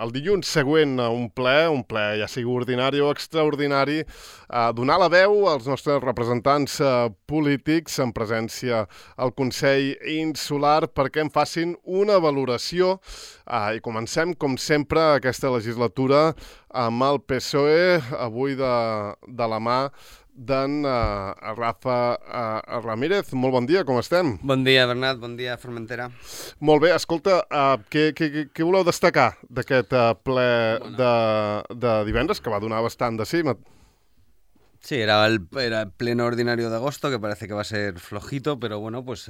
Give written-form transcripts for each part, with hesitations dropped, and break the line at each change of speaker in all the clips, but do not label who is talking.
el dilluns següent a un ple ja sigui ordinari o extraordinari, donar la veu als nostres representants polítics en presència al Consell Insular perquè en facin una valoració. I comencem, com sempre, aquesta legislatura amb el PSOE, avui de la mà d'en Rafa Ramírez. Molt bon dia, com estem?
Bon dia, Bernat, bon dia, Formentera.
Molt bé, escolta, què voleu destacar d'aquest ple de divendres, que va donar bastant de sí?
Sí, era el pleno ordinario de agosto, que parece que va a ser flojito, pero bueno, pues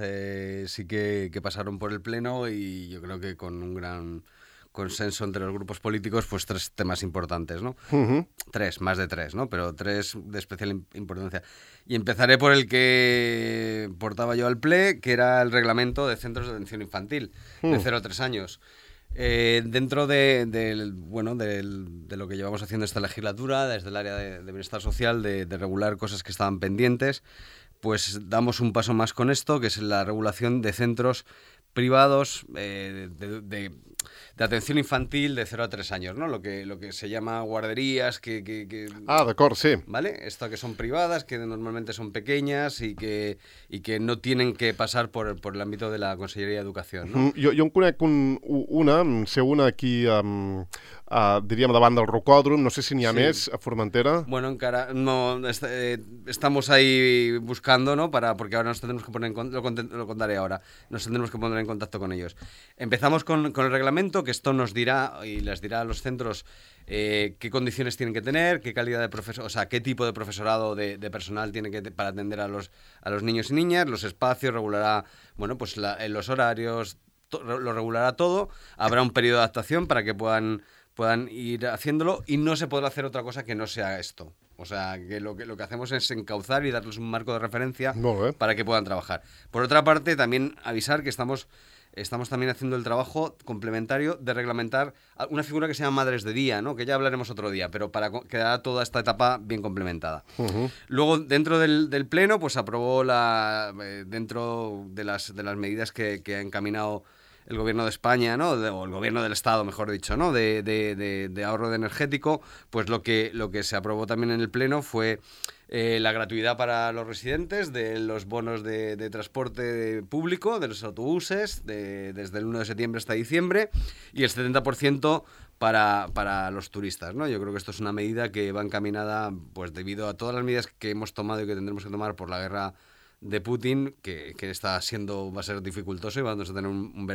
sí que pasaron por el pleno y yo creo que con un gran consenso entre los grupos políticos, pues 3 temas importantes, ¿no? Uh-huh. 3, más de 3, ¿no? Pero 3 de especial importancia. Y empezaré por el que portaba yo al ple, que era el reglamento de centros de atención infantil, de 0 a 3 años. Dentro de lo que llevamos haciendo esta legislatura, desde el área de bienestar social, de regular cosas que estaban pendientes, pues damos un paso más con esto, que es la regulación de centros privados de atención infantil de 0 a 3 años, ¿no? Lo que se llama guarderías,
d'acord, sí.
¿Vale? Esto que son privadas, que normalmente son pequeñas y que no tienen que pasar por el ámbito de la Conselleria de Educación, ¿no?
Jo en conec una aquí, diríem, davant del Rocòdrom, no sé si n'hi ha més a Formentera.
Bueno, encara no, estamos ahí buscando, ¿no? Porque ahora nos tendremos que poner lo contaré ahora, nos tendremos que poner en contacto con ellos. Empezamos con el reglamento, que esto nos dirá y les dirá a los centros qué condiciones tienen que tener, qué calidad de profesor, o sea, qué tipo de profesorado de personal tiene que para atender a los niños y niñas, los espacios, regulará, bueno, pues los horarios, lo regulará todo. Habrá un periodo de adaptación para que puedan ir haciéndolo y no se podrá hacer otra cosa que no sea esto. O sea, que lo que hacemos es encauzar y darles un marco de referencia para que puedan trabajar. Por otra parte, también avisar que estamos también haciendo el trabajo complementario de reglamentar una figura que se llama madres de día, ¿no? Que ya hablaremos otro día, pero para quedar toda esta etapa bien complementada. Uh-huh. Luego, dentro del pleno, pues aprobó dentro de las medidas que ha encaminado el gobierno de España, ¿no? O el gobierno del Estado, mejor dicho, ¿no? De ahorro de energético, pues lo que se aprobó también en el pleno fue la gratuidad para los residentes de los bonos de transporte público, de los autobuses, desde el 1 de septiembre hasta diciembre, y el 70% para los turistas, ¿no? Yo creo que esto es una medida que va encaminada, pues debido a todas las medidas que hemos tomado y que tendremos que tomar por la guerra de Putin, que va a ser dificultoso y vamos a tener un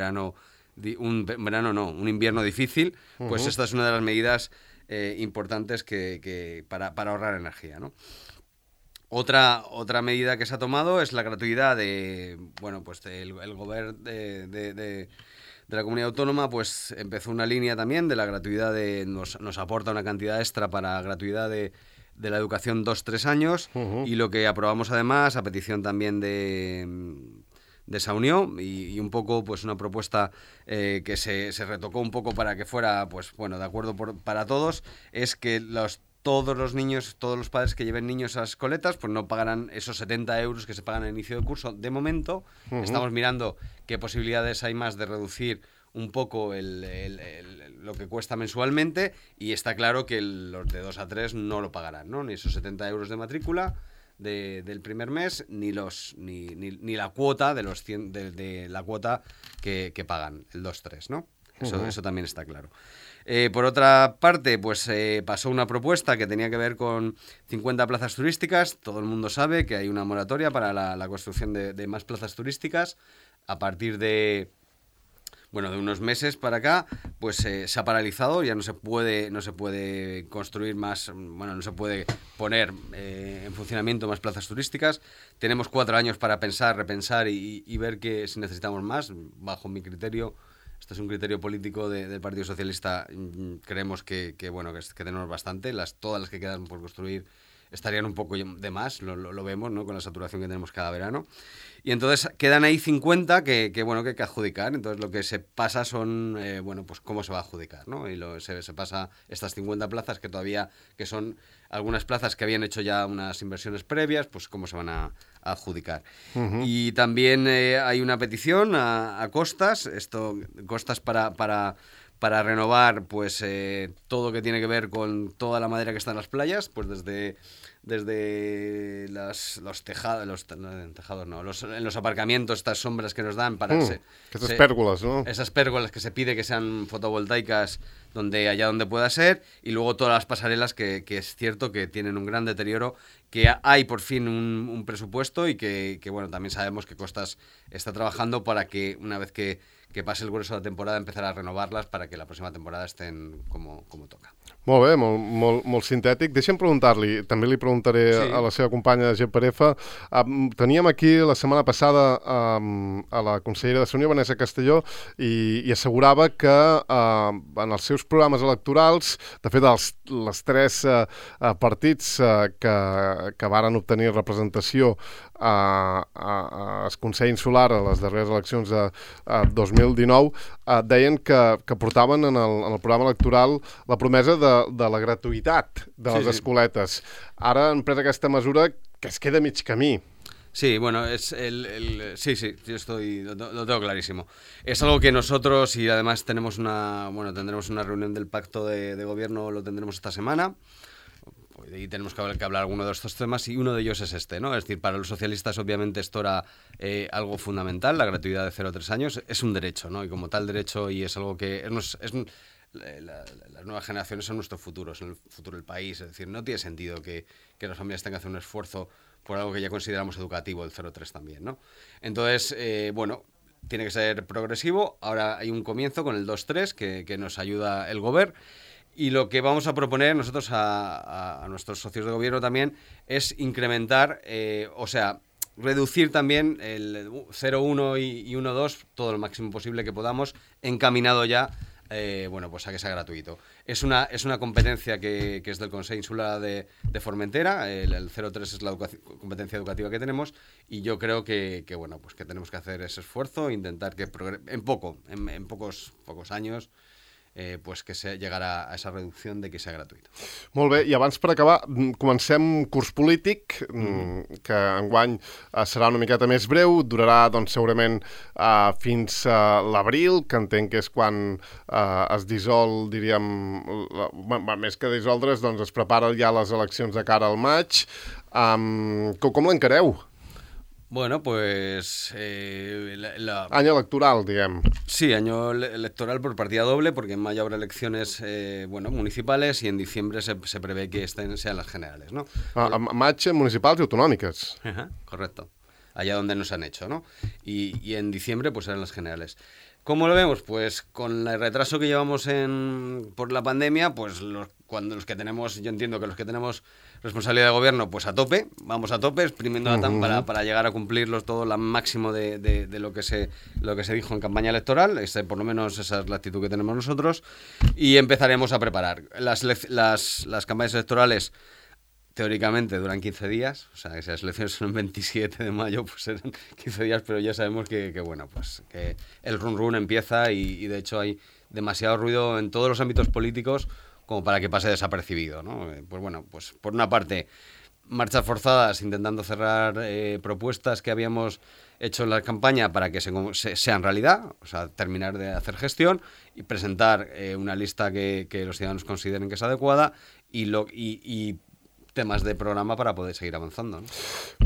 invierno difícil, pues esta es una de las medidas importantes que para ahorrar energía, ¿no? Otra medida que se ha tomado es la gratuidad el gobierno de la comunidad autónoma, pues empezó una línea también de la gratuidad nos aporta una cantidad extra para gratuidad de la educación 2-3 años, y lo que aprobamos además, a petición también de esa unión, y un poco pues una propuesta que se retocó un poco para que fuera pues bueno de acuerdo para todos, es que todos los padres que lleven niños a las escoletas pues no pagarán esos 70 euros que se pagan al inicio del curso. De momento estamos mirando qué posibilidades hay más de reducir un poco lo que cuesta mensualmente, y está claro que los de 2 a 3 no lo pagarán, ¿no? Ni esos 70 euros de matrícula del primer mes, ni la cuota de la cuota que pagan, el 2-3, ¿no? Eso también está claro. Por otra parte, pues pasó una propuesta que tenía que ver con 50 plazas turísticas. Todo el mundo sabe que hay una moratoria para la construcción de más plazas turísticas. A partir de unos meses para acá, pues se ha paralizado, ya no se puede construir más, no se puede poner en funcionamiento más plazas turísticas. Tenemos 4 años para pensar, repensar y ver si necesitamos más. Bajo mi criterio, esto es un criterio político del Partido Socialista, creemos que tenemos bastante. Todas las que quedan por construir estarían un poco de más, lo vemos, ¿no? Con la saturación que tenemos cada verano. Y entonces quedan ahí 50 que hay que adjudicar. Entonces lo que se pasa son, pues cómo se va a adjudicar, ¿no? Y se pasa estas 50 plazas que son algunas plazas que habían hecho ya unas inversiones previas, pues cómo se van a adjudicar. Uh-huh. Y también hay una petición a Costas, Costas para para renovar pues todo lo que tiene que ver con toda la madera que está en las playas, pues desde los tejados, en los aparcamientos, estas sombras que nos dan para
esas pérgolas, ¿no?
Esas pérgolas que se pide que sean fotovoltaicas allá donde pueda ser, y luego todas las pasarelas que es cierto que tienen un gran deterioro, que hay por fin un presupuesto y que bueno, también sabemos que Costas está trabajando para que una vez que pase el grueso de la temporada empezar a renovarlas para que la próxima temporada estén como toca.
Molt bé, molt sintètic. Deixa'm preguntar-li, també li preguntaré a la seva companya GPRF. Teníem aquí la setmana passada a la consellera de Salut, Vanessa Castelló, i assegurava que en els seus programes electorals, de fet, els 3 partits que varen obtenir representació al Consell Insular a les darreres eleccions de 2019, deien que portaven en el programa electoral la promesa de la gratuïtat de les escoletes. Ara han pres aquesta mesura que es queda mig camí.
Sí, bueno, sí, yo lo tengo clarísimo. Es algo que nosotros, y además tendremos una reunión del pacto de gobierno, lo tendremos esta semana, y tenemos que hablar alguno de estos temas, y uno de ellos es este, ¿no? Es decir, para los socialistas obviamente esto era algo fundamental, la gratuidad de 0 a 3 años, es un derecho, ¿no? Y como tal derecho, y es algo que las nuevas generaciones son nuestro futuro, son el futuro del país. Es decir, no tiene sentido que las familias tengan que hacer un esfuerzo por algo que ya consideramos educativo, el 0-3 también, ¿no? Entonces, bueno, tiene que ser progresivo. Ahora hay un comienzo con el 2-3 que nos ayuda el Gobierno. Y lo que vamos a proponer nosotros a nuestros socios de gobierno también es incrementar, reducir también el 0-1 y 1-2 todo lo máximo posible que podamos, encaminado ya pues a que sea gratuito. Es una competencia que es del Consell Insular de Formentera, el 0-3 es la competencia educativa que tenemos, y yo creo que tenemos que hacer ese esfuerzo, intentar que en pocos años pues que se llegarà a esa reducció de que sigui gratuït.
Molt bé, i abans per acabar, comencem curs polític, que enguany serà una miqueta més breu, durarà doncs segurament fins a l'abril, que entenc que és quan es dissol, diríem, més que dissoldre's, doncs es preparen ja les eleccions de cara al maig. Com l'encareu?
Bueno, pues...
Año electoral, digamos.
Sí, año electoral por partida doble, porque en mayo habrá elecciones municipales y en diciembre se prevé que sean las generales, ¿no?
Maig municipals y autonómicas.
Ajá, correcto. Allá donde nos han hecho, ¿no? Y en diciembre pues serán las generales. ¿Cómo lo vemos? Pues con el retraso que llevamos por la pandemia, pues yo entiendo que los que tenemos responsabilidad de gobierno, pues vamos a tope, exprimiendo la TAM para llegar a cumplirlos todo lo máximo de lo que se dijo en campaña electoral. Por lo menos esa es la actitud que tenemos nosotros, y empezaremos a preparar. Las campañas electorales teóricamente duran 15 días, o sea, que si las elecciones son el 27 de mayo, pues serán 15 días, pero ya sabemos que el run empieza y de hecho hay demasiado ruido en todos los ámbitos políticos como para que pase desapercibido, ¿no? Pues por una parte, marchas forzadas intentando cerrar propuestas que habíamos hecho en la campaña para que sean realidad, o sea, terminar de hacer gestión y presentar una lista que los ciudadanos consideren que es adecuada y temes de programa per a poder seguir avançant. No?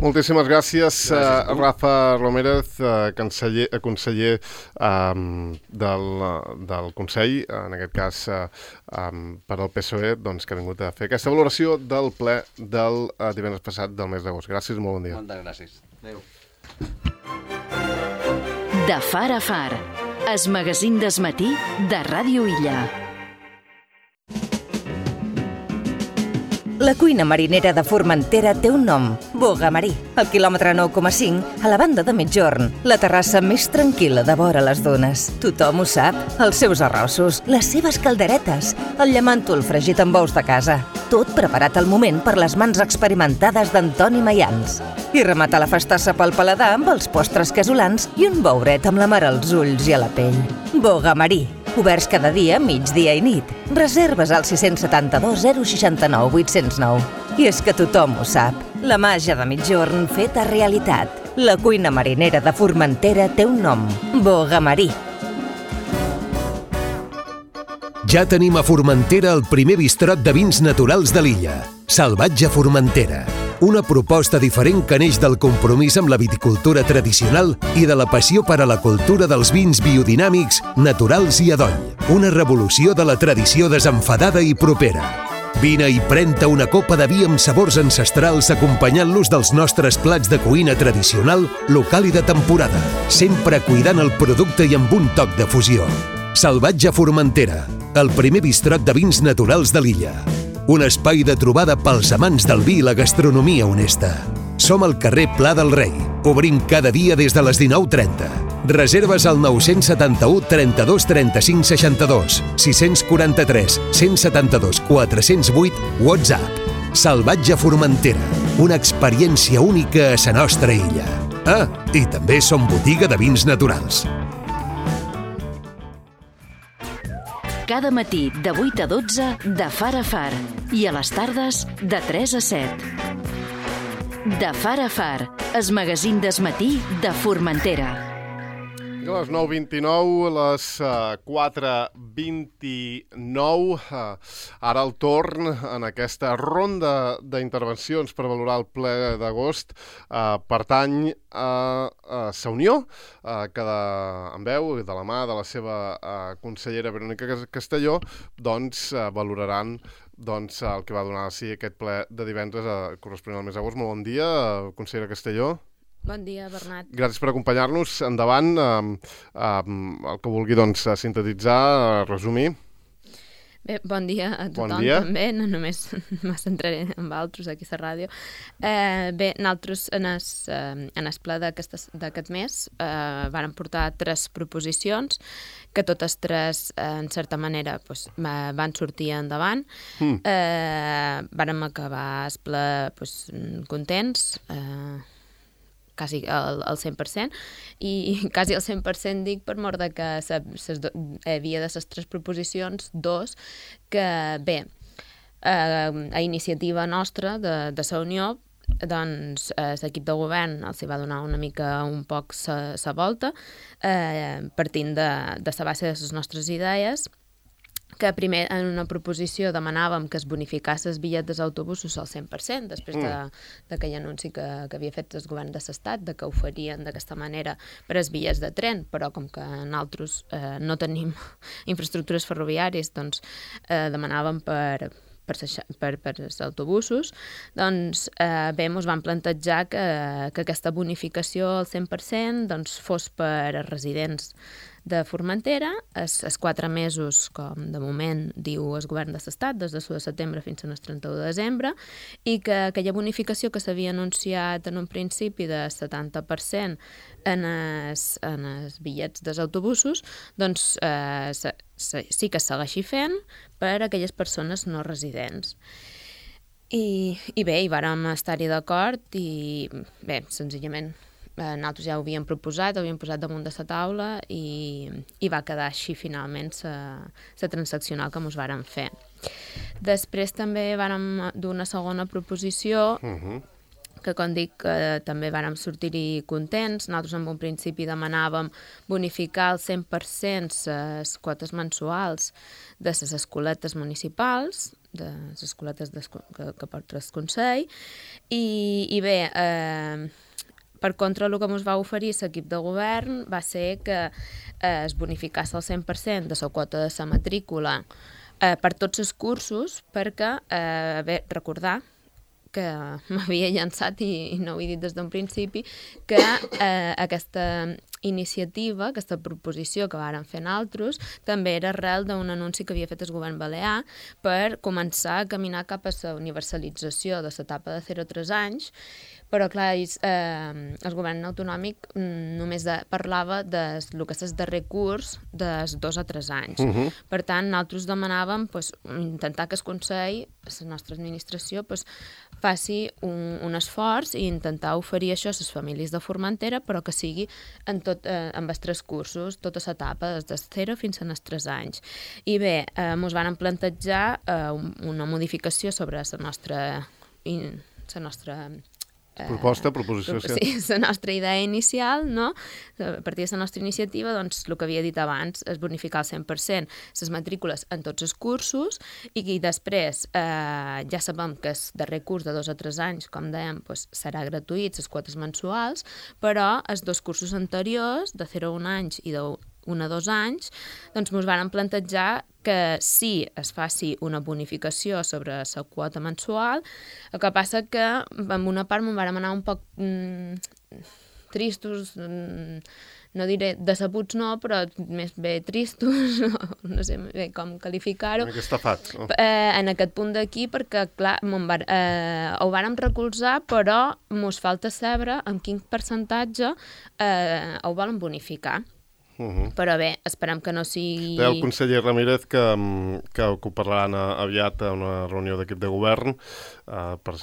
Moltíssimes gràcies Rafa Romérez, conseller del Consell, en aquest cas per al PSOE, doncs, que ha vingut a fer aquesta valoració del ple del divendres passat del mes d'agost. Gràcies, molt bon dia.
Moltes gràcies. Adéu.
De far a far, el magazín d'Es Matí de Ràdio Illa.
La cuina marinera de Formentera té un nom, Boga Marí. Al quilòmetre 9,5, a la banda de Migjorn, la terrassa més tranquil·la de vora les dunes. Tothom ho sap, els seus arrossos, les seves calderetes, el llamàntol fregit amb ous de casa. Tot preparat al moment per les mans experimentades d'Antoni Mayans. I rematar la festassa pel paladar amb els postres casolans i un bouret amb la mar als ulls i a la pell. Boga Marí. Oberts cada dia, migdia i nit. Reserves al 672 069 809. I és que tothom ho sap. La màgia de Migjorn feta realitat. La cuina marinera de Formentera té un nom. Boga Marí.
Ja tenim a Formentera el primer bistrot de vins naturals de l'illa, Salvatge Formentera. Una proposta diferent que neix del compromís amb la viticultura tradicional i de la passió per a la cultura dels vins biodinàmics, naturals i adoll. Una revolució de la tradició desenfadada i propera. Vine i pren-te una copa de vi amb sabors ancestrals acompanyant-los dels nostres plats de cuina tradicional, local i de temporada, sempre cuidant el producte i amb un toc de fusió. Salvatge Formentera, el primer bistrot de vins naturals de l'illa. Un espai de trobada pels amants del vi i la gastronomia honesta. Som al carrer Pla del Rei. Obrim cada dia des de les 19:30. Reserves al 971 32 35 62, 643 172 408, WhatsApp. Salvatge Formentera, una experiència única a la nostra illa. Ah, i també som botiga de vins naturals.
Cada matí de 8 a 12 de Far a Far i a les tardes de 3 a 7. De Far a Far, el magazín del matí de Formentera.
A les 9:29, a les 4:29, ara el torn en aquesta ronda d'intervencions per valorar el ple d'agost pertany a Sa Unió, que en veu de la mà de la seva consellera Verònica Castelló, doncs valoraran el que va donar aquest ple de divendres corresponent al mes d'agost. Molt bon dia, consellera Castelló.
Bon dia, Bernat.
Gràcies per acompanyar-nos. Endavant, el que vulgui sintetitzar, resumir.
Bé, bon dia a tothom també, no només me centraré en altres aquí a la ràdio. Bé, nosaltres en el ple d'aquest mes vàrem portar 3 proposicions, que totes 3, en certa manera, van sortir endavant. Vàrem acabar el ple contents, quasi al 100%, i quasi al 100% dic per mort de que havia de les 3 proposicions, 2, que bé, a iniciativa nostra de Sa Unió, doncs l'equip de govern els va donar una mica un poc sa volta, partint de la base de les nostres idees, que primer en una proposició demanàvem que es bonificés els bitllets dels autobusos al 100%, després d'aquell anunci que havia fet el govern de l'Estat, de que ho farien d'aquesta manera per als bitllets de tren, però com que nosaltres no tenim infraestructures ferroviàries, doncs demanàvem per als autobusos. Doncs bé, ens vam plantejar que aquesta bonificació al 100% fos per a residents de Formentera, els 4 mesos, com de moment diu el govern de l'Estat, des de l'1 de setembre fins al 31 de desembre, i que aquella bonificació que s'havia anunciat en un principi de 70% en els bitllets dels autobusos, doncs sí que es segueixi fent per a aquelles persones no residents. I bé, hi vàrem estar-hi d'acord i bé, senzillament nosaltres ja ho havíem proposat, ho havíem posat damunt de la taula i va quedar així finalment la transaccional que ens vàrem fer. Després també vàrem dur una segona proposició que, com dic, també vàrem sortir-hi contents. Nosaltres en un principi demanàvem bonificar al 100% les quotes mensuals de les escoletes municipals, de les escoletes que porta el Consell, i bé, per contra, el que ens va oferir l'equip de govern va ser que es bonificés al 100% de la quota de la matrícula per tots els cursos, perquè, bé, recordar que m'havia llançat i no ho he dit des d'un principi, que aquesta iniciativa, aquesta proposició que vàrem fer nosaltres, també era arrel d'un anunci que havia fet el govern balear per començar a caminar cap a la universalització de l'etapa de 0 a 3 anys, però clar, el govern autonòmic només parlava del que és el darrer curs dels 2 a 3 anys. Per tant, nosaltres demanàvem intentar que el Consell, la nostra administració, faci un esforç i intentar oferir això a les famílies de Formentera, però que sigui amb els 3 cursos, tota l'etapa, des de 0 fins als 3 anys. I bé, ens van plantejar una modificació sobre la nostra
proposició.
Sí, la nostra idea inicial, no? A partir de la nostra iniciativa, doncs, el que havia dit abans, és bonificar al 100% les matrícules en tots els cursos i després ja sabem que el darrer curs de 2 o 3 anys, com dèiem, doncs, serà gratuït, les quotes mensuals, però els 2 cursos anteriors, de 0 a 1 anys i de 1 a 2 anys, doncs ens vàrem plantejar que sí es faci una bonificació sobre la quota mensual, el que passa que en una part m'ho vàrem anar un poc tristos, no diré decebuts no, però més bé tristos, no sé bé com qualificar-ho.
Una mica estafats, no?
En aquest punt d'aquí, perquè, clar, ho vàrem recolzar, però mos falta saber en quin percentatge ho volen bonificar. Però bé, esperem que no sigui...
Té el conseller Ramírez que ho parlaran aviat a una reunió d'equip de govern per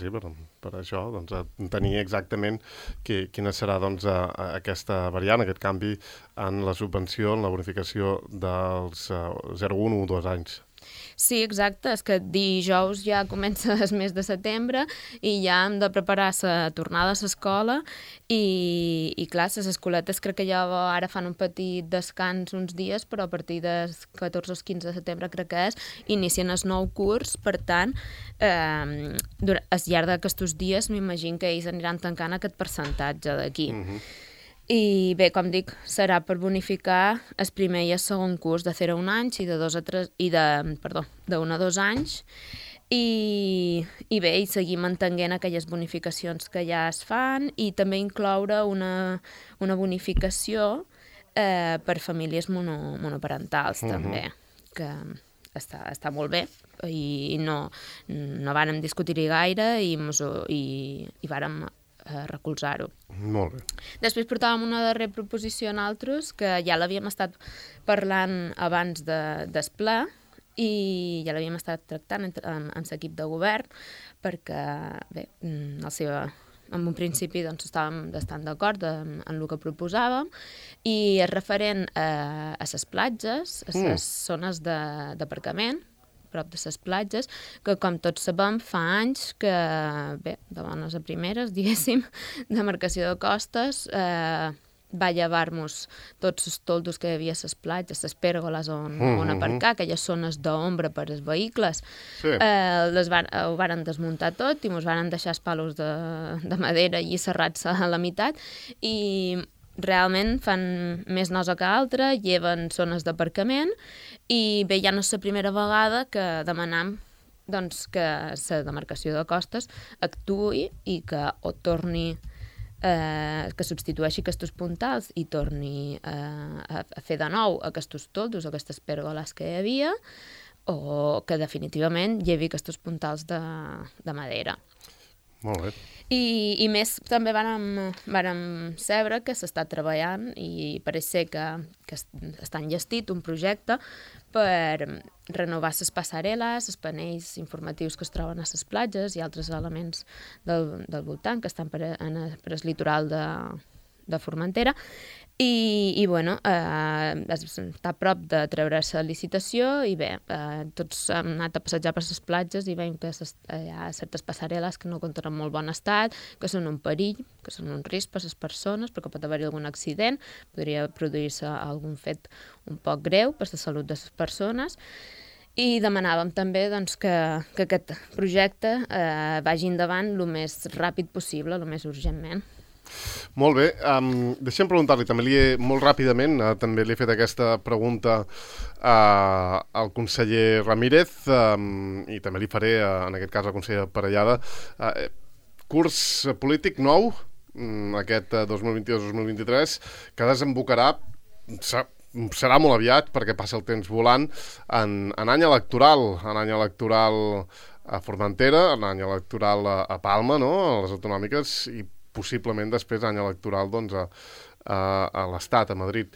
això, doncs, tenir exactament quina serà doncs, aquesta variant, aquest canvi en la subvenció, en la bonificació dels 0, 1 o 2 anys.
Sí, exacte, és que dijous ja comença el mes de setembre i ja hem de preparar la tornada a l'escola i clar, les escoletes crec que ja ara fan un petit descans uns dies, però a partir del 14 o 15 de setembre crec que és, inicien el nou curs, per tant, al llarg d'aquests dies m'imagino que ells aniran tancant aquest percentatge d'aquí. I bé, com dic, serà per bonificar el primer i el segon curs de 0 a 1 anys i de 1 a 2 anys i bé, i seguir mantenint aquelles bonificacions que ja es fan i també incloure una bonificació per famílies monoparentals també, que està molt bé i no vàrem discutir-hi gaire i vàrem recolzar-ho.
Molt bé.
Després portàvem una darrera proposició en altres, que ja l'havíem estat parlant abans del ple i ja l'havíem estat tractant amb l'equip de govern, perquè, bé, en un principi doncs, estàvem bastant d'acord en el que proposàvem i és referent a les platges, a les zones d'aparcament, prop de les platges, que com tots sabem fa anys que, bé, de bones a primeres, diguéssim, de marcació de costes, va llevar-nos tots els toldos que hi havia a les platges, les pèrgoles on aparcar, aquelles zones d'ombra per als vehicles. Sí. Ho varen desmuntar tot i ens varen deixar els palos de madera allí serrats a la meitat i realment fan més nosa que altra, lleven zones d'aparcament i bé, ja no és la primera vegada que demanam doncs, que la demarcació de costes actuï i que o torni que substitueixi aquests puntals i torni a fer de nou aquests toldos, aquestes pèrgoles que hi havia o que definitivament llevi aquests puntals de madera.
Molt bé.
I més també vàrem saber que s'està treballant i pareix ser que està enllestit un projecte per renovar les passarel·les, els panells informatius que es troben a les platges i altres elements del voltant que estan per el litoral de Formentera i bueno, està a prop de treure's la licitació i bé, tots hem anat a passejar per les platges i veiem que hi ha certes passarel·les que no compten en molt bon estat, que són un perill, que són un risc per a les persones perquè pot haver-hi algun accident, podria produir-se algun fet un poc greu per a la salut de les persones i demanàvem també doncs, que aquest projecte vagi endavant el més ràpid possible, el més urgentment.
Molt bé, deixem preguntar-li també molt ràpidament, també li he fet aquesta pregunta al conseller Ramírez i també li faré en aquest cas al conseller Parellada. Curs polític nou, aquest 2022-2023, que desembocarà, serà molt aviat perquè passa el temps volant, en any electoral a Formentera, en any electoral a Palma, no?, a les autonòmiques i possiblement després any electoral doncs, a l'Estat, a Madrid.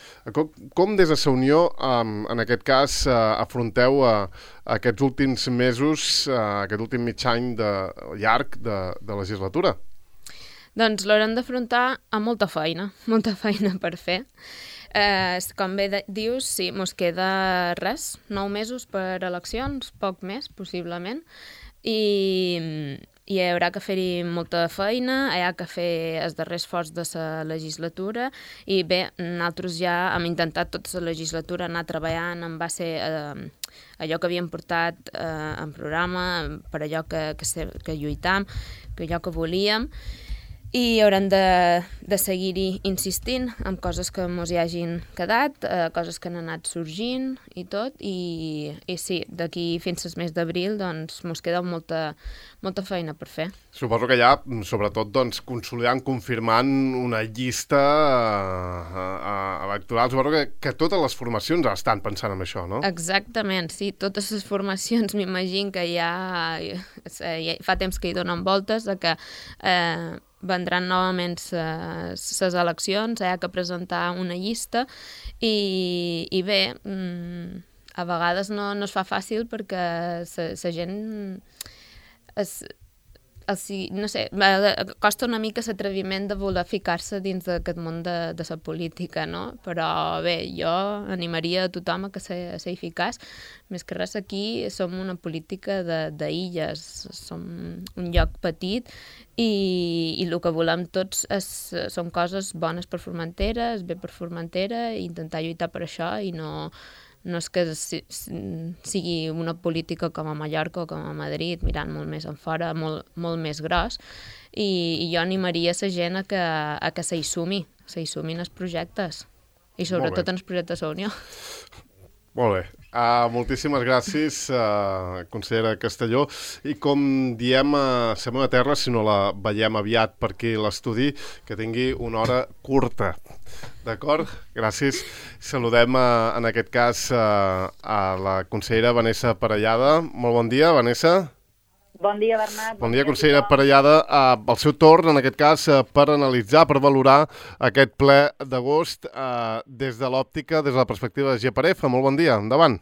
Com des de la Unió, en aquest cas, afronteu aquests últims mesos, aquest últim mig any llarg de legislatura?
Doncs l'haurem d'afrontar amb molta feina per fer. Com bé dius, sí, mos queda res, 9 mesos per eleccions, poc més, possiblement, i hi haurà que fer-hi molta feina, hi ha que fer el darrer esforç de la legislatura i bé, nosaltres ja hem intentat tota la legislatura anar treballant en base a allò que havíem portat en programa, per allò que lluitam, per allò que volíem, i haurem de seguir-hi insistint amb coses que mos hi hagin quedat, coses que han anat sorgint i tot, i sí, d'aquí fins al mes d'abril doncs mos queda molta feina per fer.
Suposo que ja, sobretot, doncs, consolidant, confirmant una llista electoral. Suposo que totes les formacions estan pensant en això, no?
Exactament, sí. Totes les formacions m'imagino que ja fa temps que hi donen voltes, que vendran novament les eleccions, hi ha que presentar una llista i bé, a vegades no es fa fàcil perquè la gent no sé, costa una mica l'atreviment de voler ficar-se dins d'aquest món de la política, no? Però bé, jo animaria a tothom a que s'hi ficàs. Més que res, aquí som una política d'illes, som un lloc petit i el que volem tots són coses bones per Formentera, és bé per Formentera, i intentar lluitar per això i no és que sigui una política com a Mallorca o com a Madrid, mirant molt més enfora, molt més gros, i jo animaria la gent a que s'hi sumin els projectes, i sobretot en els projectes de la Unió.
Molt bé. Moltíssimes gràcies, consellera Castelló. I com diem a la meva terra, si no la veiem aviat per aquí l'estudi, que tingui una hora curta. D'acord? Gràcies. Saludem, en aquest cas, a la consellera Vanessa Parellada. Molt bon dia, Vanessa.
Bon dia, Bernat.
Bon dia, consellera Parellada. Al seu torn, en aquest cas, per analitzar, per valorar aquest ple d'agost des de l'òptica, des de la perspectiva de GPRF. Molt bon dia. Endavant.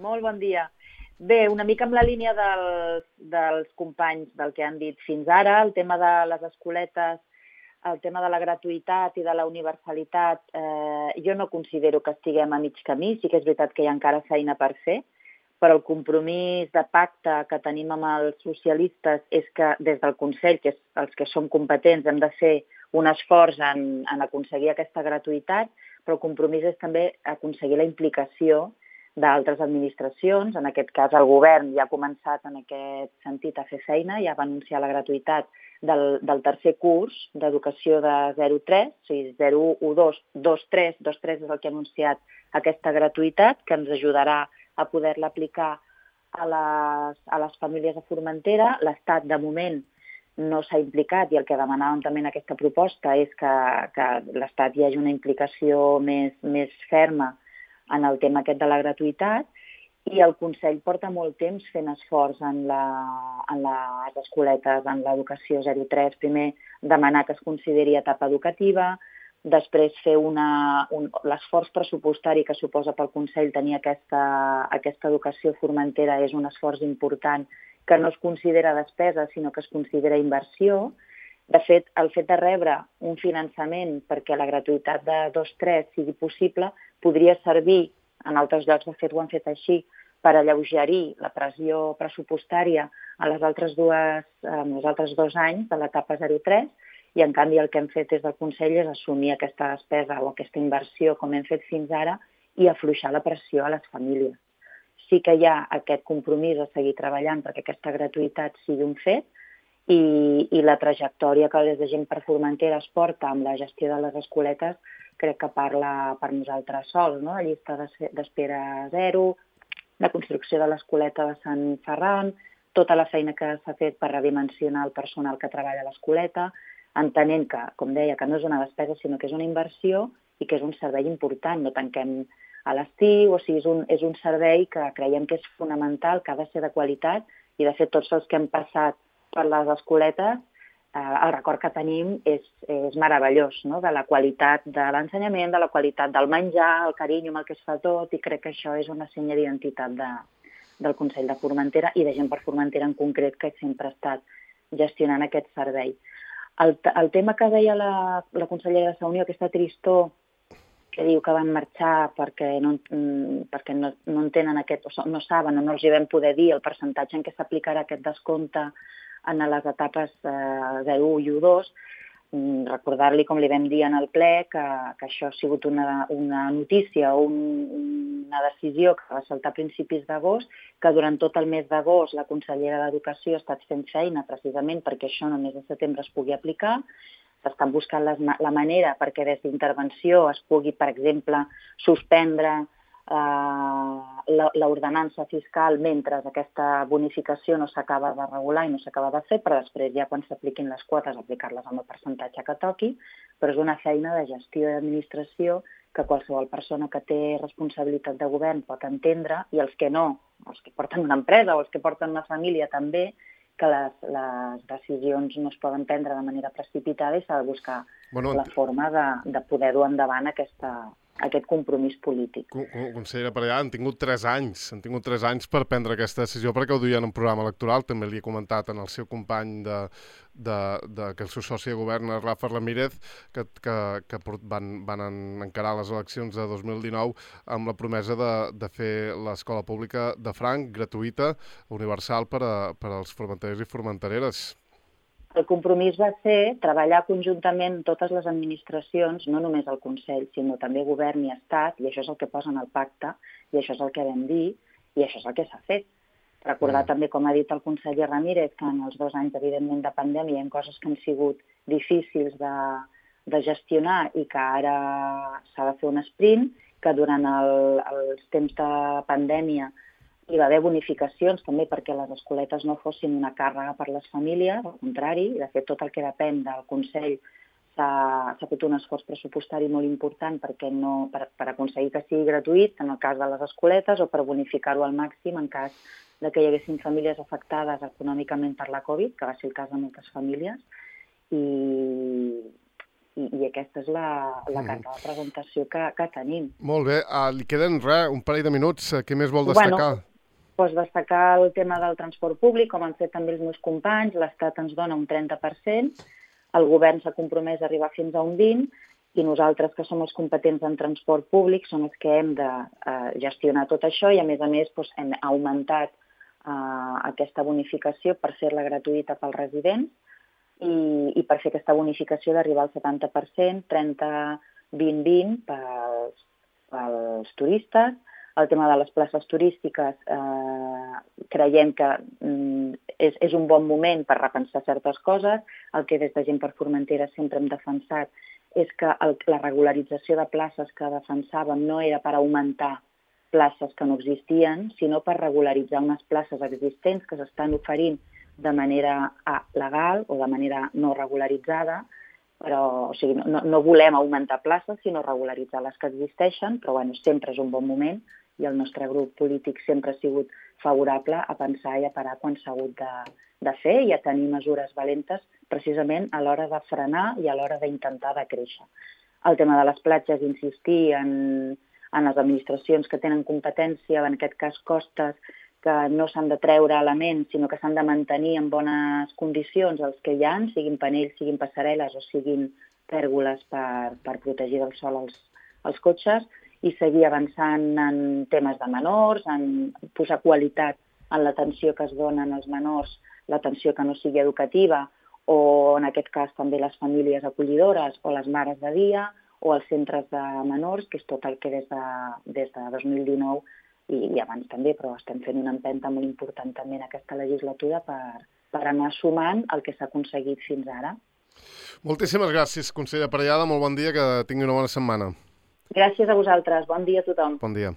Molt bon dia. Bé, una mica amb la línia dels companys del que han dit fins ara, el tema de les escoletes, el tema de la gratuïtat i de la universalitat, jo no considero que estiguem a mig camí. Sí que és veritat que hi ha encara feina per fer, però el compromís de pacte que tenim amb els socialistes és que des del Consell, que és els que som competents, hem de fer un esforç en aconseguir aquesta gratuïtat, però el compromís és també aconseguir la implicació d'altres administracions. En aquest cas, el govern ja ha començat en aquest sentit a fer feina, ja va anunciar la gratuïtat del tercer curs d'educació de 0-3, o sigui, 0-1-2, 2-3, 2-3 és el que ha anunciat aquesta gratuïtat, que ens ajudarà a poder-la aplicar a les famílies de Formentera. L'Estat, de moment, no s'ha implicat i el que demanàvem també en aquesta proposta és que l'Estat hi hagi una implicació més ferma en el tema aquest de la gratuïtat, i el Consell porta molt temps fent esforç en les escoletes, en l'educació 0-3. Primer demanar que es consideri etapa educativa, després fer l'esforç pressupostari que suposa pel Consell tenir aquesta educació formentera és un esforç important que no es considera despesa, sinó que es considera inversió. De fet, el fet de rebre un finançament perquè la gratuïtat de 2-3 sigui possible podria servir, en altres llocs de fet ho han fet així, per alleugerir la pressió pressupostària a els altres 2 anys de l'etapa 0-3, i en canvi el que hem fet des del Consell és assumir aquesta despesa o aquesta inversió com hem fet fins ara i afluixar la pressió a les famílies. Sí que hi ha aquest compromís a seguir treballant perquè aquesta gratuïtat sigui un fet, i la trajectòria que des de Gent per Formentera es porta amb la gestió de les escoletes crec que parla per nosaltres sols, no? La llista d'espera 0, la construcció de l'escoleta de Sant Ferran, tota la feina que s'ha fet per redimensionar el personal que treballa a l'escoleta, entenent que, com deia, que no és una despesa sinó que és una inversió i que és un servei important. No tanquem a l'estiu, o sigui, és un servei que creiem que és fonamental, que ha de ser de qualitat, i de fet tots els que hem passat per les escoletes, el record que tenim és meravellós, no? De la qualitat de l'ensenyament, de la qualitat del menjar, el carinyo amb el que es fa tot, i crec que això és una senya d'identitat del Consell de Formentera i de Gent per Formentera en concret, que sempre ha estat gestionant aquest servei. El tema que deia la consellera de la Unió, aquesta tristor que diu que van marxar perquè no entenen aquest, o no saben o no els hi vam poder dir el percentatge en què s'aplicarà aquest descompte en les etapes 0, 1 i 2. Recordar-li, com li vam dir en el ple, que això ha sigut una notícia o una decisió que va saltar a principis d'agost, que durant tot el mes d'agost la consellera d'Educació ha estat fent feina precisament perquè això només a setembre es pugui aplicar. S'estan buscant la manera perquè des d'intervenció es pugui, per exemple, suspendre l'ordenança fiscal mentre aquesta bonificació no s'acaba de regular i no s'acaba de fer, però després ja quan s'apliquin les quotes aplicar-les amb el percentatge que toqui, però és una feina de gestió i administració que qualsevol persona que té responsabilitat de govern pot entendre, i els que no, els que porten una empresa o els que porten una família també, que les decisions no es poden prendre de manera precipitada i s'ha de buscar la forma de poder dur endavant aquest compromís polític.
Consellera Parellada, han tingut 3 anys per prendre aquesta decisió perquè ho duien en programa electoral. També li he comentat en el seu company que el seu soci de govern, Rafa Ramírez, que van encarar les eleccions de 2019 amb la promesa de fer l'escola pública de franc, gratuïta, universal per als formenterers i formentereres.
El compromís va ser treballar conjuntament totes les administracions, no només el Consell, sinó també Govern i Estat, i això és el que posa en el pacte, i això és el que vam dir, i això és el que s'ha fet. Recordar també, com ha dit el conseller Ramírez, que en els 2 anys, evidentment, de pandèmia hi ha coses que han sigut difícils de gestionar i que ara s'ha de fer un sprint, que durant els temps de pandèmia hi va haver bonificacions també perquè les escoletes no fossin una càrrega per les famílies, al contrari, i de fet tot el que depèn del Consell s'ha fet un esforç pressupostari molt important per aconseguir que sigui gratuït en el cas de les escoletes o per bonificar-ho al màxim en cas que hi haguessin famílies afectades econòmicament per la Covid, que va ser el cas de moltes famílies, i aquesta és la carta de presentació que tenim.
Molt bé, li queden un parell de minuts. Què més vol destacar?
Doncs destacar el tema del transport públic, com han fet també els meus companys. L'Estat ens dona un 30%, el govern s'ha compromès a arribar fins a un 20%, i nosaltres, que som els competents en transport públic, som els que hem de gestionar tot això, i a més hem augmentat aquesta bonificació per fer-la gratuïta pels residents i per fer aquesta bonificació d'arribar al 70%, 30-20-20 pels turistes. El tema de les places turístiques creiem que és un bon moment per repensar certes coses. El que des de Gent per Formentera sempre hem defensat és que la regularització de places que defensàvem no era per augmentar places que no existien, sinó per regularitzar unes places existents que s'estan oferint de manera legal o de manera no regularitzada, però no volem augmentar places, sinó regularitzar les que existeixen, però sempre és un bon moment i el nostre grup polític sempre ha sigut favorable a pensar i a parar quan s'ha hagut de fer i a tenir mesures valentes precisament a l'hora de frenar i a l'hora d'intentar de créixer. El tema de les platges, insistir en les administracions que tenen competència, en aquest cas costes, que no s'han de treure elements, sinó que s'han de mantenir en bones condicions els que hi ha, siguin panells, siguin passarel·les o siguin pèrgoles per protegir del sol els cotxes, i seguir avançant en temes de menors, en posar qualitat en l'atenció que es dona als menors, l'atenció que no sigui educativa, o en aquest cas també les famílies acollidores o les mares de dia o els centres de menors, que és tot el que des de 2019 i abans també, però estem fent una empenta molt important també en aquesta legislatura per anar sumant el que s'ha aconseguit fins ara.
Moltíssimes gràcies, consellera Parellada, molt bon dia, que tingui una bona setmana.
Gràcies a vosaltres, bon dia a tothom.
Bon dia.